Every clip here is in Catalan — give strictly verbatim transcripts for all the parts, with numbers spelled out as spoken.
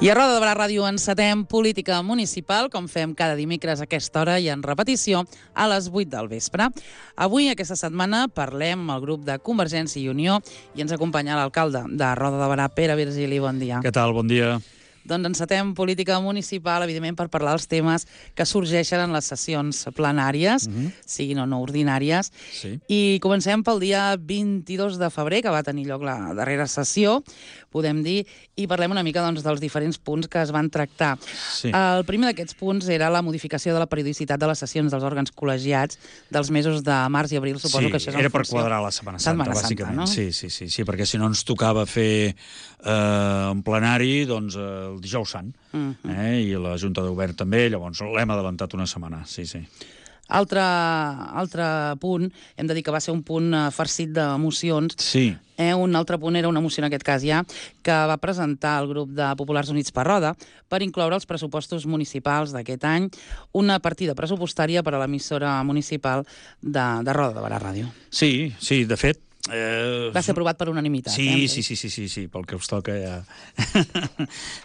I a Roda de Barà Ràdio encetem política municipal, com fem cada dimecres a aquesta hora i en repetició a les vuit del vespre. Avui, aquesta setmana, parlem amb el grup de Convergència i Unió i ens acompanya l'alcalde de Roda de Barà, Pere Virgili. Bon dia. Què tal? Bon dia. Doncs encetem política municipal, evidentment, per parlar dels temes que sorgeixen en les sessions plenàries, mm-hmm. siguin o no ordinàries. Sí. I comencem pel dia vint-i-dos de febrer, que va tenir lloc la darrera sessió, podem dir, i parlem una mica doncs, dels diferents punts que es van tractar. Sí. El primer d'aquests punts era la modificació de la periodicitat de les sessions dels òrgans col·legiats dels mesos de març i abril. Suposo sí, que això és era en per funció... quadrar la Setmana Santa, Setmana bàsicament. Santa, no? Sí, sí, sí, sí, perquè si no ens tocava fer eh, un plenari doncs, eh, el dijous sant, uh-huh. eh, i la Junta de Govern també, llavors l'hem adelantat una setmana, sí, sí. Altre, altre punt, hem de dir que va ser un punt eh, farcit d'emocions. Sí. Eh, un altre punt era una moció en aquest cas ja, que va presentar el grup de Populars Units per Roda per incloure els pressupostos municipals d'aquest any, una partida pressupostària per a l'emissora municipal de, de Roda de Barà Ràdio. Sí, sí, de fet... Eh... Va ser aprovat per unanimitat. Sí, eh? sí, sí, sí, sí, sí, pel que us toca ja...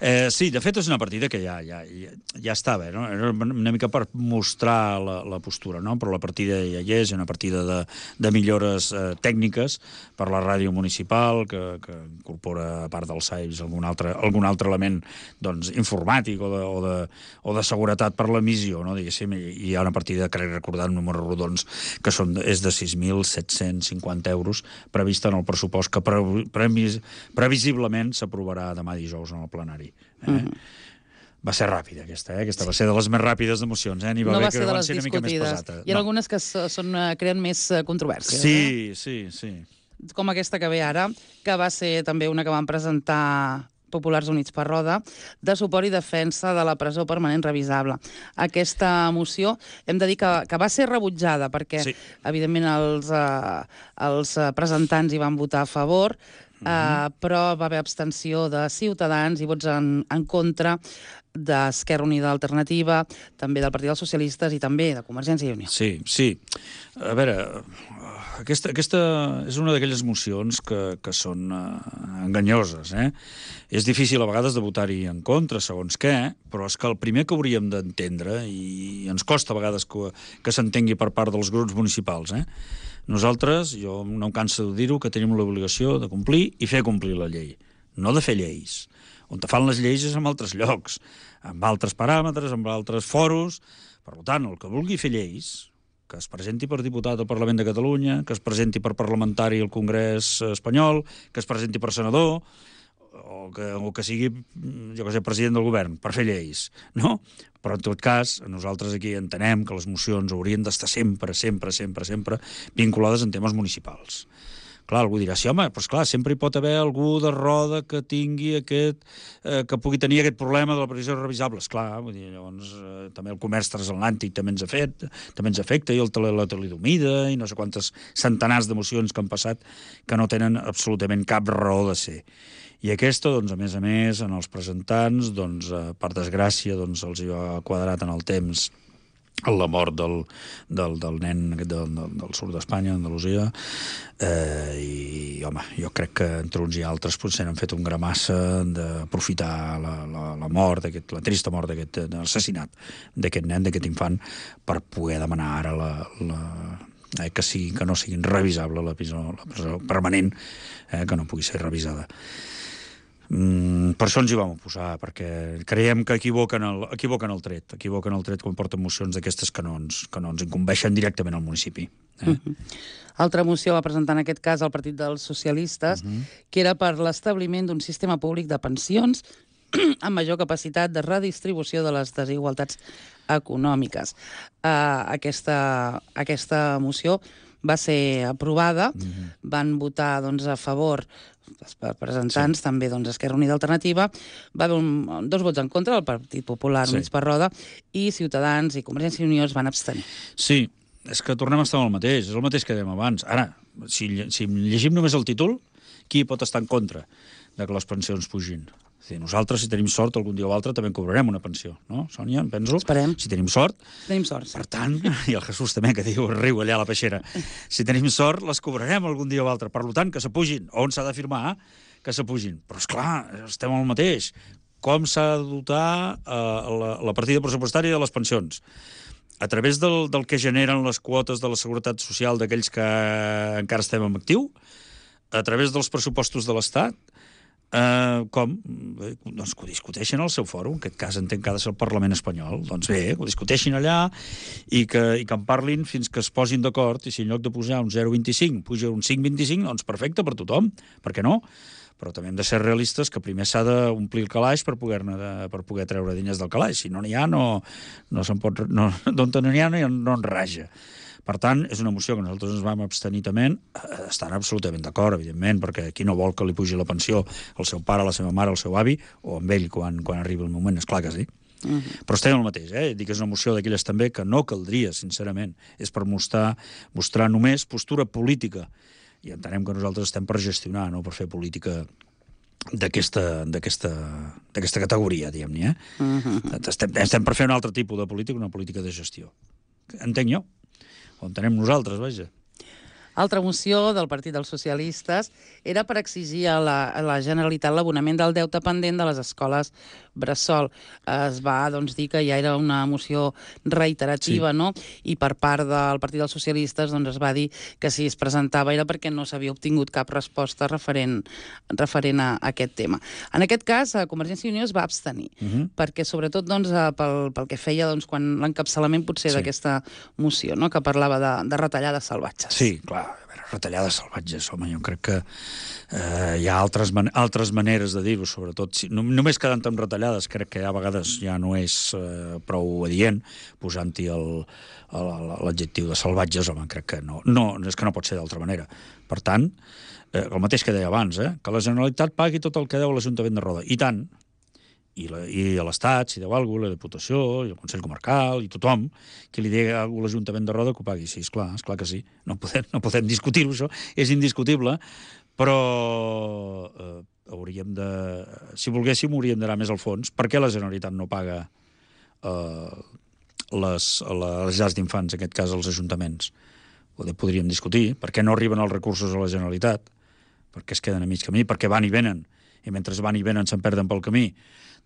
eh, sí, de fet és una partida que ja, ja, ja, ja estava, no? Era una mica per mostrar la, la postura, no? Però la partida ja hi és, una partida de, de millores eh, tècniques per la ràdio municipal, que, que incorpora, a part dels S A I S, algun altre, algun altre element doncs, informàtic o de, o, de, o de seguretat per l'emissió, no? Diguéssim, i hi ha una partida, crec recordar, en números rodons, que són, és de sis mil set-cents cinquanta euros, prevista en el pressupost que pre previs previsiblement s'aprovarà demà dijous en el plenari. Eh? Mm-hmm. Va ser ràpida, aquesta, eh? Aquesta va ser de les més ràpides d'emocions, eh? N'hi va no haver va ser que de van les ser una mica més pesata. Hi ha no. algunes que són, creen més controvèrsies. Sí, eh? sí, sí. Com aquesta que ve ara, que va ser també una que van presentar Populars Units per Roda, de suport i defensa de la presó permanent revisable. Aquesta moció hem de dir que, que va ser rebutjada perquè, sí. evidentment, els, uh, els presentants hi van votar a favor, uh, mm-hmm. però va haver abstenció de Ciutadans i vots en, en contra d'Esquerra Unida Alternativa, també del Partit dels Socialistes i també de Convergència i Unió. Sí, sí. A veure, aquesta, aquesta és una d'aquelles mocions que, que són uh, enganyoses, eh? És difícil a vegades de votar-hi en contra, segons què, però és que el primer que hauríem d'entendre, i ens costa a vegades que, que s'entengui per part dels grups municipals, eh? Nosaltres, jo no em canso de dir-ho, que tenim l'obligació de complir i fer complir la llei, no de fer lleis. On te fan les lleis és en altres llocs, amb altres paràmetres, amb altres foros. Per tant, el que vulgui fer lleis, que es presenti per diputat al Parlament de Catalunya, que es presenti per parlamentari al Congrés espanyol, que es presenti per senador, o que, o que sigui, jo que sé, president del govern, per fer lleis, no? Però, en tot cas, nosaltres aquí entenem que les mocions haurien d'estar sempre, sempre, sempre, sempre vinculades en temes municipals. Clar, algú dirà, sí, home, però esclar, sempre hi pot haver algú de Roda que tingui aquest, eh, que pugui tenir aquest problema de la previsió revisable. Esclar, vull dir, llavors, eh, també el comerç transatlàntic també ens ha fet, també ens afecta, i el tele, la talidomida, i no sé quantes centenars d'emocions que han passat que no tenen absolutament cap raó de ser. I aquesta, doncs, a més a més, en els presentants, doncs, eh, per desgràcia, doncs, els hi ha quadrat en el temps la mort del, del, del nen del, del, del sud d'Espanya, Andalusia, eh, i, home, jo crec que entre uns i altres potser han fet un gramassa d'aprofitar la, la, la mort, aquest, la trista mort d'aquest assassinat d'aquest nen, d'aquest infant, per poder demanar ara la... la eh, que, sigui, que no sigui revisable la presó, la presó permanent, eh, que no pugui ser revisada. Mm, per això ens hi vam oposar, perquè creiem que equivoquen el, equivoquen el tret, equivoquen el tret quan porten mocions d'aquestes que, no ens, que no ens incumbeixen directament al municipi. Eh? Uh-huh. Altra moció va presentar en aquest cas el Partit dels Socialistes, uh-huh. que era per l'establiment d'un sistema públic de pensions amb major capacitat de redistribució de les desigualtats econòmiques. Uh, aquesta, aquesta moció va ser aprovada, uh-huh. van votar doncs, a favor els presentants, sí. també doncs, Esquerra Unida Alternativa, va haver un, dos vots en contra, el Partit Popular sí. Units per Roda, i Ciutadans i Convergència i Unió es van abstenir. Sí, és que tornem a estar amb el mateix, és el mateix que dèiem abans. Ara, si, si llegim només el títol, qui pot estar en contra de que les pensions pugin? dir, nosaltres, si tenim sort, algun dia o altre també cobrarem una pensió, no, Sònia? Em penso. Esperem. Si tenim sort. Tenim sort, sí. Per tant, i el Jesús també, que diu, riu allà a la peixera, si tenim sort, les cobrarem algun dia o altre. Per tant, que s'apugin. On s'ha d'afirmar que s'apugin? Però, esclar, estem al mateix. com s'ha de dotar eh, la, la partida pressupostària de les pensions. A través del, del que generen les quotes de la Seguretat Social d'aquells que encara estem en actiu, a través dels pressupostos de l'Estat, eh, com? Doncs que ho discuteixen al seu fòrum, en aquest cas entenc que ha de ser el Parlament espanyol. Doncs bé, que ho discuteixin allà i que, i que en parlin fins que es posin d'acord, i si en lloc de pujar un zero coma vint-i-cinc puja un cinc coma vint-i-cinc, doncs perfecte per tothom, per què no? Però també hem de ser realistes que primer s'ha d'omplir el calaix per poder-ne per poder treure diners del calaix. Si no n'hi ha, no, no se'n pot... No, d'on no n'hi ha, no, no en raja. Per tant, és una moció que nosaltres ens vam abstenir també, estan absolutament d'acord, evidentment, perquè qui no vol que li pugi la pensió al seu pare, a la seva mare, al seu avi, o amb ell quan, quan arribi el moment, és clar que sí. Uh -huh. Però estem el mateix, eh? Dic que és una moció d'aquelles també que no caldria, sincerament. És per mostrar, mostrar només postura política. I entenem que nosaltres estem per gestionar, no per fer política d'aquesta categoria, diguem-ne. Eh? Uh-huh. estem, estem per fer un altre tipus de política, una política de gestió. Entenc jo. O entenem nosaltres, vaja. Altra moció del Partit dels Socialistes era per exigir a la, a la Generalitat l'abonament del deute pendent de les escoles bressol. Es va doncs, dir que ja era una moció reiterativa, sí. no? I per part del Partit dels Socialistes doncs, es va dir que si es presentava era perquè no s'havia obtingut cap resposta referent, referent a, a aquest tema. En aquest cas, Convergència i Unió es va abstenir, uh -huh. perquè sobretot doncs, pel, pel que feia doncs, quan l'encapçalament potser sí. d'aquesta moció, no? que parlava de, de retallades salvatges. Sí, clar. A veure, retallades salvatges, home, jo crec que eh, hi ha altres, man altres maneres de dir-ho, sobretot. Si, no, només quedant amb retallades, crec que a vegades ja no és eh, prou adient, posant-hi l'adjectiu de salvatges, home, crec que no. No, és que no pot ser d'altra manera. Per tant, eh, el mateix que deia abans, eh, que la Generalitat pagui tot el que deu a l'Ajuntament de Roda. I tant. I, la, i a l'Estat, si deu alguna cosa, la Diputació, i el Consell Comarcal, i tothom, que li digui a l'Ajuntament de Roda que ho pagui. Sí, esclar, esclar que sí. No podem, no podem discutir-ho, això. És indiscutible, però eh, hauríem de... Si volguéssim, hauríem d'anar més al fons. Per què la Generalitat no paga eh, les, les llars d'infants, en aquest cas els ajuntaments? Ho podríem discutir. Per què no arriben els recursos a la Generalitat? Per què es queden a mig camí? Per què van i venen? I mentre van i venen se'n perden pel camí.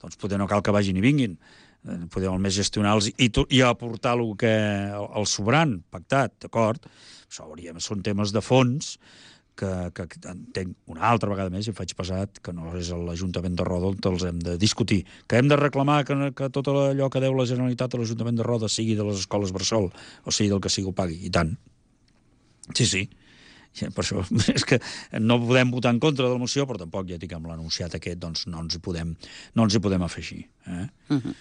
Doncs poder no cal que vagin i vinguin. Podem almenys gestionar-los i, i aportar el que el sobrant, pactat, d'acord? Això hauríem, són temes de fons que, que entenc una altra vegada més i faig pesat que no és l'Ajuntament de Roda on els hem de discutir. Que hem de reclamar que, que tot allò que deu la Generalitat a l'Ajuntament de Roda sigui de les escoles bressol o sigui del que sigui ho pagui. I tant. Sí, sí. Per això és que no podem votar en contra de la moció, però tampoc, ja dic, amb l'anunciat aquest, doncs no ens hi podem, no ens hi podem afegir. Eh? Uh-huh.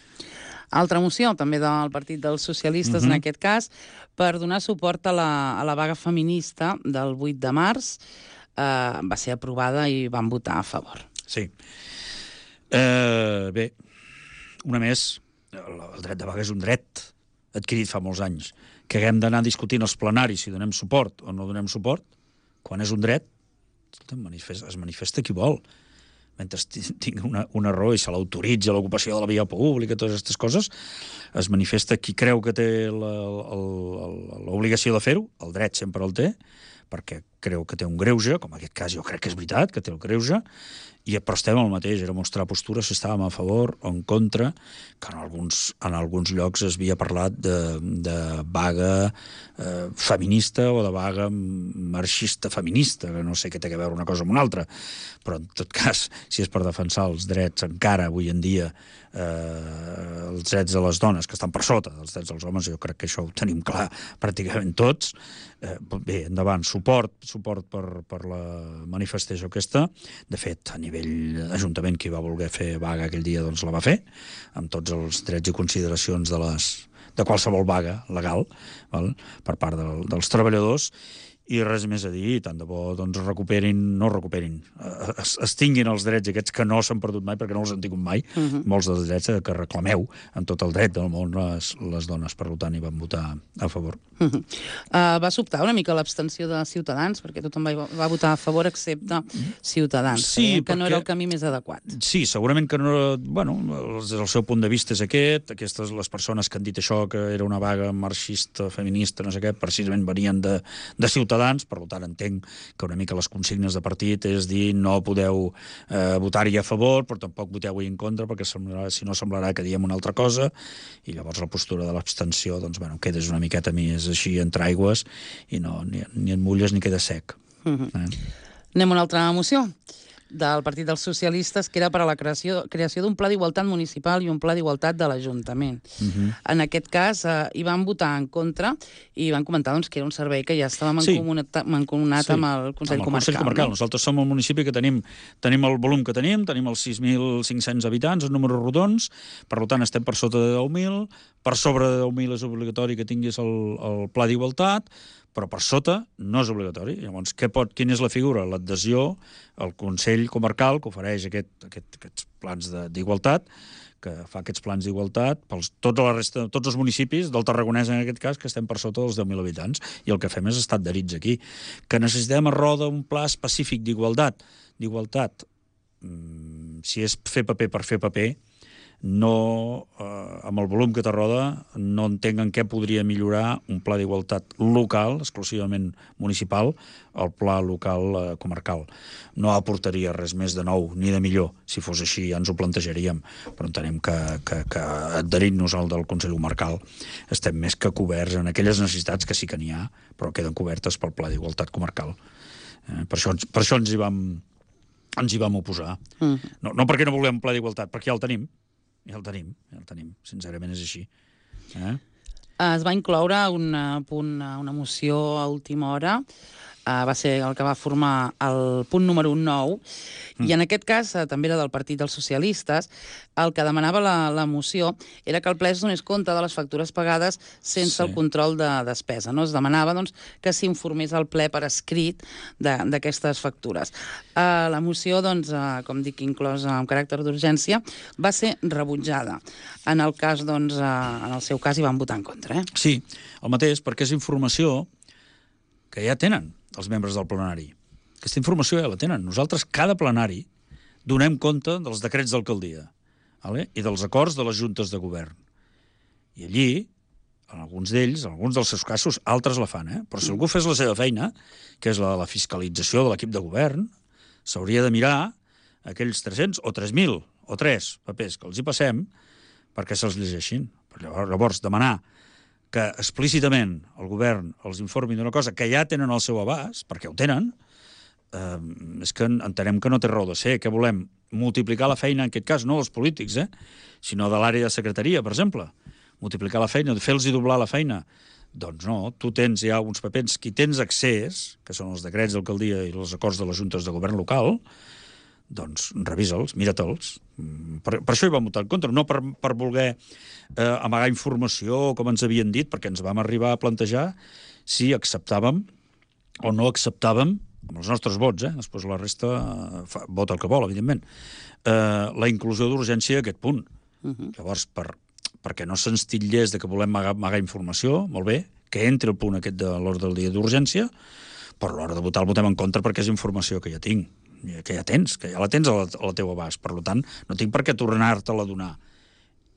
Altra moció, també del Partit dels Socialistes, uh-huh. en aquest cas, per donar suport a la, a la vaga feminista del vuit de març, eh, va ser aprovada i van votar a favor. Sí. Eh, bé, una més, el dret de vaga és un dret adquirit fa molts anys, que haguem d'anar discutint els plenaris si donem suport o no donem suport, quan és un dret, es manifesta qui vol. Mentre tingui una, una raó i se l'autoritza l'ocupació de la via pública, totes aquestes coses, es manifesta qui creu que té l'obligació de fer-ho, el dret sempre el té, perquè creu que té un greuge, com en aquest cas jo crec que és veritat, que té el greuge, i però estem al mateix, era mostrar postura si estàvem a favor o en contra, que en alguns, en alguns llocs es havia parlat de, de vaga eh, feminista o de vaga marxista feminista, que no sé què té a veure una cosa amb una altra, però en tot cas, si és per defensar els drets encara avui en dia, eh, els drets de les dones, que estan per sota dels drets dels homes, jo crec que això ho tenim clar pràcticament tots, eh, bé, endavant, suport, suport per, per la manifestació aquesta. De fet, a nivell Ajuntament, qui va voler fer vaga aquell dia, doncs la va fer, amb tots els drets i consideracions de, les, de qualsevol vaga legal, val? Per part del, dels treballadors, i res més a dir, tant de bo doncs recuperin, no recuperin, es, es tinguin els drets aquests que no s'han perdut mai, perquè no els han tingut mai, uh-huh. molts dels drets que reclameu amb tot el dret del món les, les dones, per tant, hi van votar a favor. Uh-huh. uh, va sobtar una mica l'abstenció de Ciutadans, perquè tothom va, va votar a favor excepte Ciutadans, sí, que no era el camí més adequat. Sí, segurament que no, bueno, des del seu punt de vista és aquest, aquestes les persones que han dit això, que era una vaga marxista, feminista, no sé què, precisament venien de, de Ciutadans, Ciutadans, per tant entenc que una mica les consignes de partit és dir no podeu eh, votar-hi a favor, però tampoc voteu-hi en contra, perquè semblarà, si no semblarà que diem una altra cosa, i llavors la postura de l'abstenció, doncs, bueno, quedes una miqueta més així entre aigües, i no, ni, ni et mulles ni queda sec. Mm-hmm. eh? Anem a una altra moció del Partit dels Socialistes, que era per a la creació, creació d'un pla d'igualtat municipal i un pla d'igualtat de l'Ajuntament. Uh-huh. En aquest cas, eh, hi van votar en contra i van comentar doncs, que era un servei que ja estava mancomunat, sí. mancomunat sí. amb el Consell amb el Comarcal. Consell Comarcal. No? Nosaltres som el municipi que tenim, tenim el volum que tenim, tenim els sis mil cinc-cents habitants, els números rodons, per tant estem per sota de deu mil, per sobre de deu mil és obligatori que tinguis el, el pla d'igualtat, però per sota no és obligatori. Llavors, què pot, quina és la figura? L'adhesió al Consell Comarcal, que ofereix aquest, aquest, aquests plans d'igualtat, que fa aquests plans d'igualtat pels tota la resta, tots els municipis del Tarragonès, en aquest cas, que estem per sota dels deu mil habitants, i el que fem és estar adherits aquí. Que necessitem a Roda un pla específic d'igualtat. D'igualtat, si és fer paper per fer paper, no, eh, amb el volum que té Roda, no entenc en què podria millorar un pla d'igualtat local, exclusivament municipal, el pla local eh, comarcal. No aportaria res més de nou, ni de millor. Si fos així ja ens ho plantejaríem, però entenem que, que, que adherint-nos al del Consell Comarcal estem més que coberts en aquelles necessitats que sí que n'hi ha, però queden cobertes pel pla d'igualtat comarcal. Eh, per, això, per això ens hi vam, ens hi vam oposar. Mm. No, no perquè no volem un pla d'igualtat, perquè ja el tenim. Ja el tenim, ja el tenim. Sincerament és així. Eh? Es va incloure un punt, una moció a última hora, uh, va ser el que va formar el punt número nou, mm. i en aquest cas uh, també era del Partit dels Socialistes. El que demanava la, la moció era que el ple es donés compte de les factures pagades sense sí. el control de despesa. No? Es demanava doncs, que s'informés al ple per escrit d'aquestes factures. Uh, la moció, doncs, uh, com dic, inclosa amb caràcter d'urgència, va ser rebutjada. En el cas, doncs, uh, en el seu cas hi van votar en contra. Eh? Sí, el mateix, perquè és informació que ja tenen els membres del plenari. Aquesta informació ja la tenen. Nosaltres, cada plenari, donem compte dels decrets d'alcaldia, vale? I dels acords de les juntes de govern. I allí, en alguns d'ells, en alguns dels seus casos, altres la fan, eh? Però si algú fes la seva feina, que és la de la fiscalització de l'equip de govern, s'hauria de mirar aquells tres-cents o tres mil o tres papers que els hi passem perquè se'ls llegeixin. Llavors, llavors, demanar que explícitament el govern els informi d'una cosa que ja tenen al seu abast, perquè ho tenen, eh, és que entenem que no té raó de ser. Que volem? Multiplicar la feina, en aquest cas, no dels polítics, eh, sinó de l'àrea de secretaria, per exemple. Multiplicar la feina, fer-los doblar la feina. Doncs no, tu tens ja uns papers, qui tens accés, que són els decrets d'alcaldia i els acords de les juntes de govern local, doncs revisa'ls, mira-te'ls. Per, per això hi vam votar en contra, no per, per voler eh, amagar informació, com ens havien dit, perquè ens vam arribar a plantejar si acceptàvem o no acceptàvem, amb els nostres vots, eh? Després la resta eh, fa, vota el que vol, evidentment, eh, la inclusió d'urgència a aquest punt. Uh-huh. Llavors, per, perquè no se'ns titllés de que volem amagar, amagar informació, molt bé, que entri el punt aquest de l'ordre del dia d'urgència, però a l'hora de votar el votem en contra perquè és informació que ja tinc, que ja tens, que ja la tens a la, a la teva abast. Per tant, no tinc per què tornar-te-la a donar.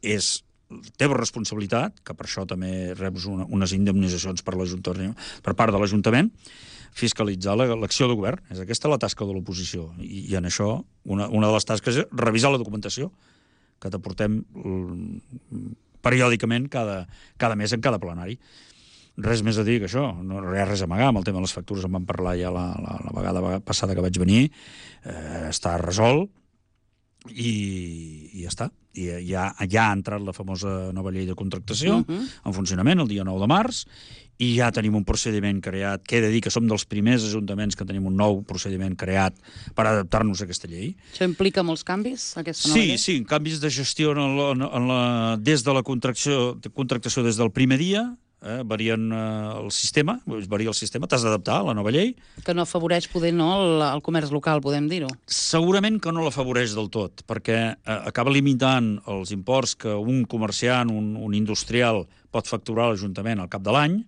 És la teva responsabilitat, que per això també reps una, unes indemnitzacions per, per part de l'Ajuntament, fiscalitzar l'acció de govern. És aquesta la tasca de l'oposició. I, i en això, una, una de les tasques és revisar la documentació que t'aportem periòdicament cada, cada mes en cada plenari. Res més a dir que això, no hi ha res a amagar. Amb el tema de les factures en vam parlar ja la, la, la vegada passada que vaig venir. Eh, està resolt i, i ja està. I ja, ja ha entrat la famosa nova llei de contractació uh-huh. en funcionament el dia nou de març, i ja tenim un procediment creat, que he de dir que som dels primers ajuntaments que tenim un nou procediment creat per adaptar-nos a aquesta llei. Això implica molts canvis, aquesta nova sí, llei? Sí, canvis de gestió en la, en la, des de la contractació, de contractació des del primer dia, eh, varien eh, el sistema, varia el sistema, t'has d'adaptar a la nova llei. Que no afavoreix, poder, no, el, el comerç local, podem dir-ho? Segurament que no l'afavoreix del tot, perquè eh, acaba limitant els imports que un comerciant, un, un industrial, pot facturar a l'Ajuntament al cap de l'any,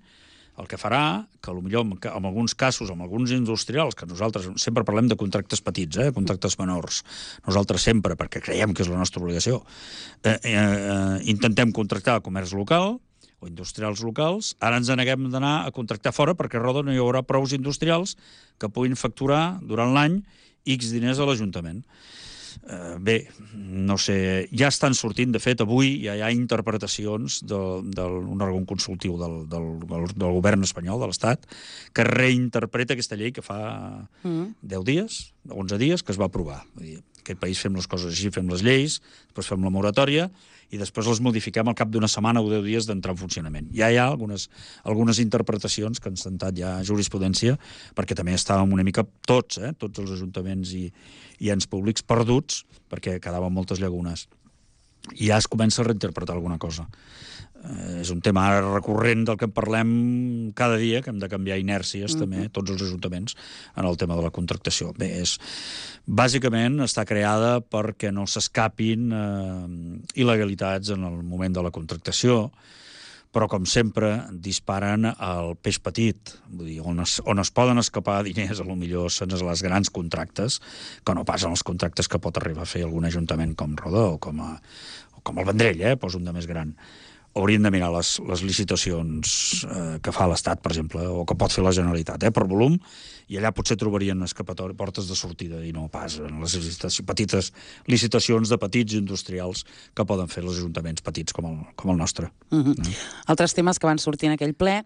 el que farà que, potser, en alguns casos, amb alguns industrials, que nosaltres sempre parlem de contractes petits, eh, contractes menors, nosaltres sempre, perquè creiem que és la nostra obligació, eh, eh, intentem contractar comerç local, o industrials locals, ara ens neguem d'anar a contractar fora perquè a Roda no hi haurà prous industrials que puguin facturar durant l'any X diners a l'Ajuntament. Uh, bé, no sé, ja estan sortint, de fet, avui ja hi ha interpretacions d'un òrgan consultiu del, del, del govern espanyol, de l'Estat, que reinterpreta aquesta llei que fa mm. deu dies, onze dies, que es va aprovar. Vull dir, aquest país fem les coses així, fem les lleis, després fem la moratòria i després les modifiquem al cap d'una setmana o deu dies d'entrar en funcionament. Ja hi ha algunes, algunes interpretacions que han sentat ja jurisprudència, perquè també estàvem una mica tots, eh, tots els ajuntaments i, i ens públics perduts, perquè quedaven moltes llagunes. I ja es comença a reinterpretar alguna cosa. Eh, és un tema recurrent del que en parlem cada dia, que hem de canviar inèrcies mm-hmm. també, tots els ajuntaments, en el tema de la contractació. Bé, és, bàsicament està creada perquè no s'escapin eh, il·legalitats en el moment de la contractació, però, com sempre, disparen al peix petit. Vull dir, on es, on es poden escapar diners, a lo millor són les grans contractes, que no passen els contractes que pot arribar a fer algun ajuntament com Roda o com, a, o com el Vendrell, eh? Poso un de més gran. Haurien de mirar les, les licitacions eh, que fa l'Estat, per exemple, o que pot fer la Generalitat, eh, per volum, i allà potser trobarien escapatori, portes de sortida, i no pas en les licitacions, petites licitacions de petits industrials que poden fer els ajuntaments petits com el, com el nostre. Uh-huh. No? Altres temes que van sortir en aquell ple,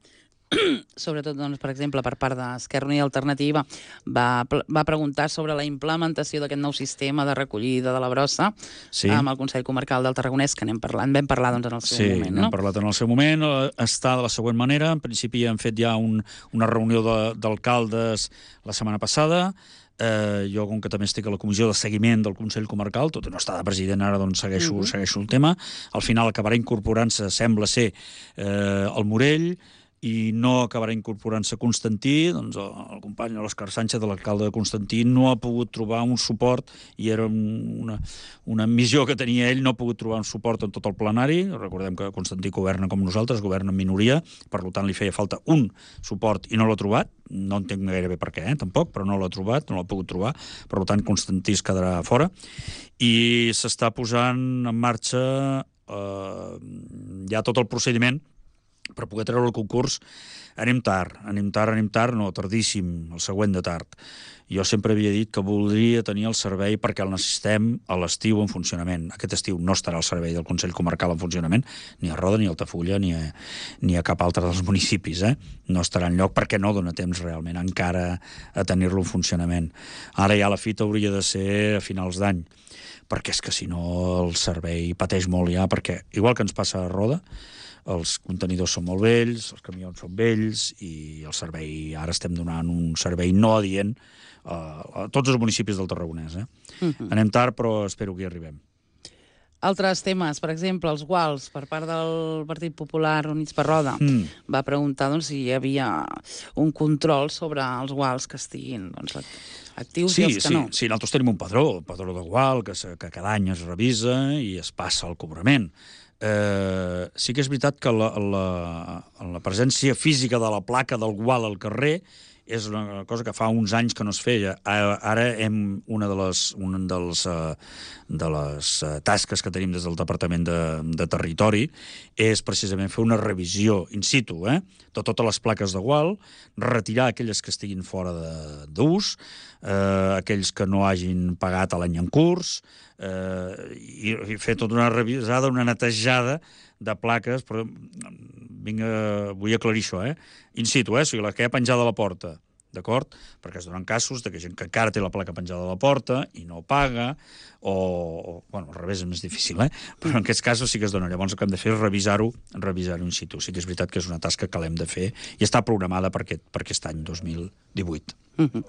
sobretot, doncs, per exemple, per part d'Esquerra Unida i Alternativa, va, va preguntar sobre la implementació d'aquest nou sistema de recollida de la brossa sí. amb el Consell Comarcal del Tarragonès, que n'hem parlat, vam parlar doncs, en el seu sí, moment. Sí, no? n'hem parlat en el seu moment. Està de la següent manera. En principi hem fet ja un, una reunió d'alcaldes la setmana passada. Eh, jo, com que també estic a la comissió de seguiment del Consell Comarcal, tot i no està de president ara, doncs segueixo, uh-huh. segueixo el tema. Al final acabarà incorporant-se, sembla ser, eh, el Morell, i no acabarà incorporant-se Constantí, doncs el, el company l'Òscar Sánchez, de l'alcalde de Constantí, no ha pogut trobar un suport, i era una, una missió que tenia ell, no ha pogut trobar un suport en tot el plenari. Recordem que Constantí governa com nosaltres, governa en minoria, per tant li feia falta un suport i no l'ha trobat. No entenc gairebé per què, eh, tampoc, però no l'ha trobat, no l'ha pogut trobar, per tant Constantí es quedarà fora, i s'està posant en marxa eh, ja tot el procediment per poder treure el concurs. Anem tard, anem tard, anem tard, no, tardíssim, el següent de tard. Jo sempre havia dit que voldria tenir el servei perquè el necessitem a l'estiu en funcionament. Aquest estiu no estarà el servei del Consell Comarcal en funcionament, ni a Roda, ni a Altafulla, ni a, ni a cap altre dels municipis, eh? No estarà enlloc perquè no dona temps realment encara a tenir-lo en funcionament. Ara ja la fita hauria de ser a finals d'any, perquè és que si no el servei pateix molt ja, perquè igual que ens passa a Roda, els contenidors són molt vells, els camions són vells, i el servei, ara estem donant un servei no adient a, a tots els municipis del Tarragonès. Eh? Uh-huh. Anem tard, però espero que hi arribem. Altres temes, per exemple, els guals, per part del Partit Popular Units per Roda, mm. va preguntar doncs, si hi havia un control sobre els guals que estiguin doncs, actius sí, i els que sí, no. Sí, nosaltres tenim un padró, el padró de gual, que, que cada any es revisa i es passa al cobrament. Eh, sí que és veritat que la, la, la presència física de la placa del gual al carrer és una cosa que fa uns anys que no es feia. Ara hem, una de les, una dels, de les tasques que tenim des del Departament de, de Territori és precisament fer una revisió in situ, eh, de totes les plaques de gual, retirar aquelles que estiguin fora d'ús, eh, aquells que no hagin pagat a l'any en curs, eh, i, i fer tota una revisada, una netejada de plaques, però vinga, vull aclarir això, eh? In situ, eh? O sigui, la que hi ha penjada a la porta, d'acord? Perquè es donen casos de que gent que encara té la placa penjada a la porta i no paga, o, o bueno, al revés és més difícil, eh? Però en aquests casos sí que es dona. Llavors el que hem de fer és revisar-ho, revisar-ho in situ. Sí que és veritat que és una tasca que l'hem de fer i està programada per aquest, per aquest any dos mil divuit. Uh-huh.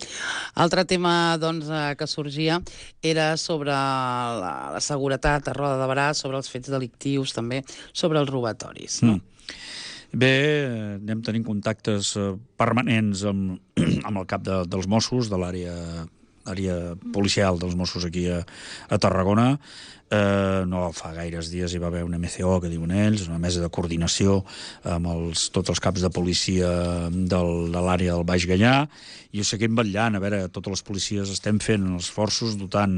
Altre tema doncs, que sorgia era sobre la, la seguretat a Roda de Berà, sobre els fets delictius també, sobre els robatoris. No? Mm. Bé, anem tenint contactes permanents amb, amb el cap de, dels Mossos, de l'àrea àrea policial dels Mossos aquí a, a Tarragona. Eh, no fa gaires dies hi va haver una M C O, que diuen ells, una mesa de coordinació amb els, tots els caps de policia del, de l'àrea del Baix Gaià, i ho seguim vetllant. A veure, totes les policies estem fent els esforços dotant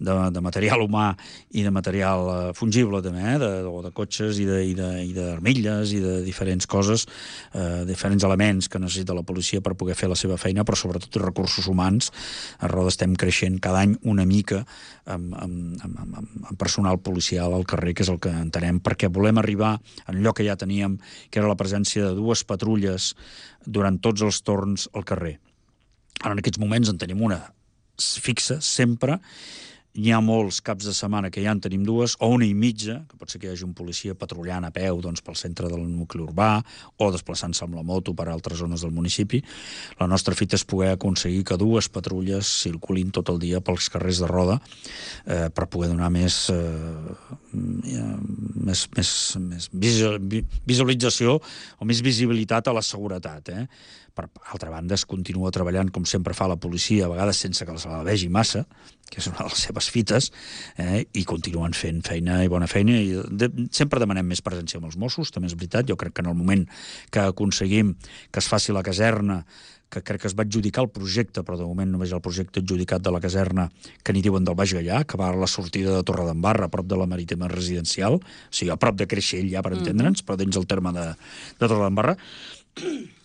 de, de material humà i de material eh, fungible també, eh, de, de, de cotxes i d'armilles i, i de diferents coses, eh, diferents elements que necessita la policia per poder fer la seva feina, però sobretot recursos humans. A Roda estem creixent cada any una mica amb, amb, amb, amb, amb personal policial al carrer, que és el que entenem, perquè volem arribar en allò que ja teníem, que era la presència de dues patrulles durant tots els torns al carrer. Ara, en aquests moments, en tenim una fixa, sempre. N'hi ha molts caps de setmana que ja en tenim dues, o una i mitja, que pot ser que hi hagi un policia patrullant a peu doncs, pel centre del nucli urbà, o desplaçant-se amb la moto per a altres zones del municipi. La nostra fita és poder aconseguir que dues patrulles circulin tot el dia pels carrers de Roda, eh, per poder donar més, eh, més, més, més visualització o més visibilitat a la seguretat, eh? Per altra banda, es continua treballant com sempre fa la policia, a vegades sense que se la vegi massa, que és una de les seves fites, eh, i continuen fent feina i bona feina, i de, sempre demanem més presència amb els Mossos, també és veritat. Jo crec que en el moment que aconseguim que es faci la caserna, que crec que es va adjudicar el projecte, però de moment només hi ha el projecte adjudicat de la caserna, que n'hi diuen del Baix Gaià, que va a la sortida de Torredembarra, a prop de la Marítima Residencial, o sigui, a prop de Creixell, ja per entendre'ns, però dins el terme de, de Torredembarra.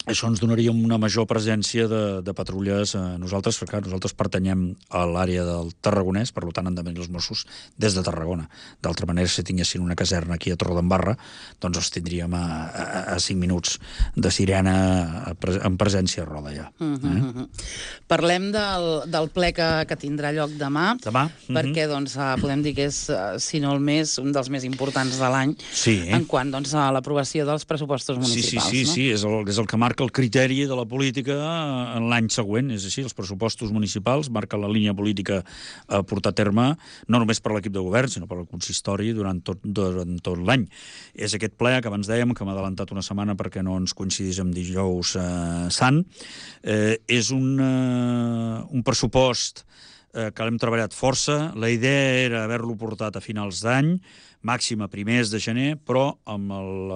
Això ens donaria una major presència de, de patrulles a nosaltres, perquè clar, nosaltres pertanyem a l'àrea del Tarragonès, per tant han de venir els Mossos des de Tarragona. D'altra manera, si tinguessin una caserna aquí a Torredembarra, doncs els tindríem a, a, a cinc minuts de sirena a, a, en presència a Roda, ja. Uh -huh. eh? Parlem del, del ple que, que tindrà lloc demà, demà? Uh -huh. perquè doncs, podem dir que és, si no el més, un dels més importants de l'any, sí, eh? en quant doncs, a l'aprovació dels pressupostos municipals. Sí, sí, sí, no? sí, és el, és el que marca el criteri de la política en l'any següent. És així, els pressupostos municipals marquen la línia política a portar a terme, no només per l'equip de govern, sinó per el consistori durant tot, durant tot l'any. És aquest ple que abans dèiem, que m'ha adelantat una setmana perquè no ens coincidís amb dijous eh, sant. Eh, és un, eh, un pressupost eh, que l'hem treballat força. La idea era haver-lo portat a finals d'any, màxim a primers de gener, però amb, el,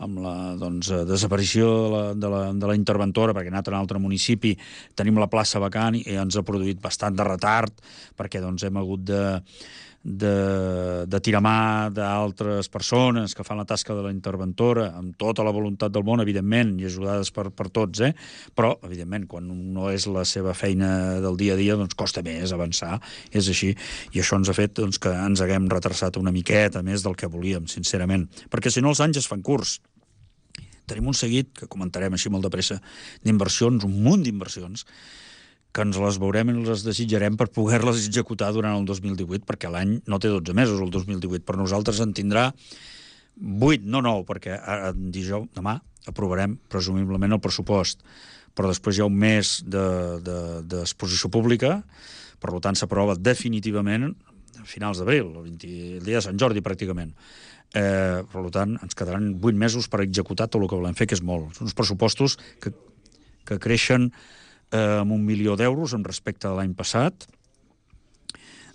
amb la doncs, desaparició de la, de, la, de la interventora, perquè ha anat a un altre municipi, tenim la plaça vacant i ens ha produït bastant de retard, perquè doncs, hem hagut de, de, de tirar mà d'altres persones que fan la tasca de la interventora, amb tota la voluntat del món, evidentment, i ajudades per, per tots, eh? Però, evidentment, quan no és la seva feina del dia a dia, doncs costa més avançar, és així, i això ens ha fet doncs, que ens haguem retrasat una miqueta més del que volíem, sincerament, perquè si no els anys es fan curts. Tenim un seguit, que comentarem així molt de pressa, d'inversions, un munt d'inversions, que ens les veurem i les desitjarem per poder-les executar durant el dos mil divuit, perquè l'any no té dotze mesos, el dos mil divuit, però nosaltres en tindrà vuit, no nou, perquè dijous, demà, aprovarem presumiblement el pressupost, però després hi ha un mes d'exposició de, de, pública, per tant s'aprova definitivament a finals d'abril, el, el dia de Sant Jordi pràcticament. Eh, per tant, ens quedaran vuit mesos per executar tot el que volem fer, que és molt. Són uns pressupostos que, que creixen eh, amb un milió d'euros en respecte de l'any passat,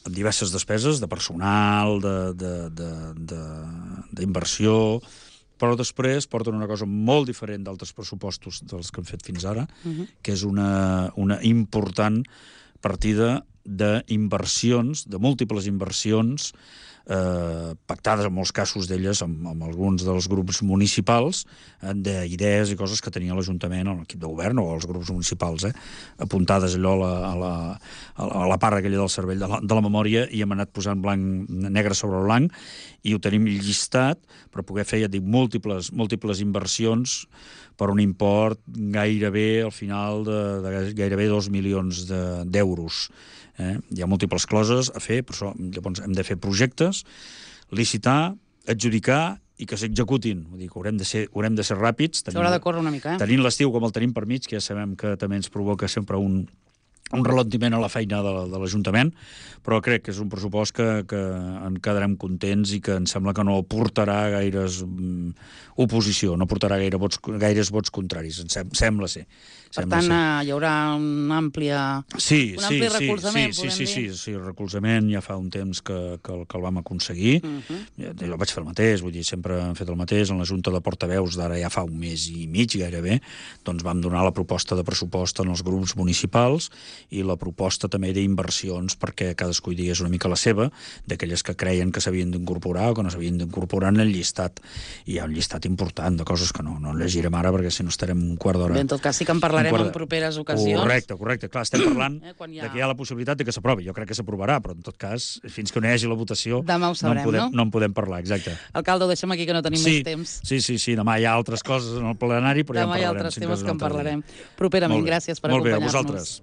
amb diverses despeses de personal, d'inversió, però després porten una cosa molt diferent d'altres pressupostos dels que hem fet fins ara, uh-huh. que és una, una important partida d'inversions, de múltiples inversions, eh, pactades en molts casos d'elles amb, amb alguns dels grups municipals, eh, d'idees i coses que tenia l'Ajuntament o l'equip de govern o els grups municipals, eh, apuntades allò a la, a la, a la part aquella del cervell de la, de la memòria, i hem anat posant blanc, negre sobre blanc, i ho tenim llistat per poder fer, ja dic, múltiples, múltiples inversions per un import gairebé, al final, de, de gairebé dos milions d'euros. Eh? Hi ha múltiples coses a fer, per això llavors hem de fer projectes, licitar, adjudicar i que s'executin. Vull dir que haurem de ser, haurem de ser ràpids. S'haurà de córrer una mica, eh? Tenint l'estiu com el tenim per mig, que ja sabem que també ens provoca sempre un, un ralentiment a la feina de, de l'Ajuntament, però crec que és un pressupost que, que en quedarem contents i que em sembla que no portarà gaires um, oposició, no portarà gaire vots, gaires vots contraris, em sem sembla ser. Per Sembla tant, ser. hi haurà un ampli, sí, un sí, ampli sí, recolzament, sí, podem sí, dir? sí, sí, sí, recolzament ja fa un temps que, que, que el vam aconseguir. Uh -huh. jo, jo vaig fer el mateix, vull dir, sempre hem fet el mateix. En la Junta de Portaveus d'ara ja fa un mes i mig, gairebé, doncs vam donar la proposta de pressupost en els grups municipals i la proposta també d'inversions perquè cadascú hi digués una mica la seva, d'aquelles que creien que s'havien d'incorporar o que no s'havien d'incorporar en el llistat. I hi ha un llistat important de coses que no, no llegirem ara perquè si no estarem un quart d'hora. Bé, en tot cas sí que en parlarem en properes ocasions. Correcte, correcte. Clar, estem parlant eh, ha... de que hi ha la possibilitat de que s'aprovi. Jo crec que s'aprovarà, però en tot cas, fins que no hi hagi la votació, demà ho sabrem, no, en podem, no? no en podem parlar, exacte. Alcalde, ho deixem aquí que no tenim sí, més temps. Sí, sí, sí, demà hi ha altres coses en el plenari, però demà ja en parlarem. Demà hi ha altres temes que en parlarem. Dia. Properament, gràcies per acompanyar-nos. Molt bé, a vosaltres.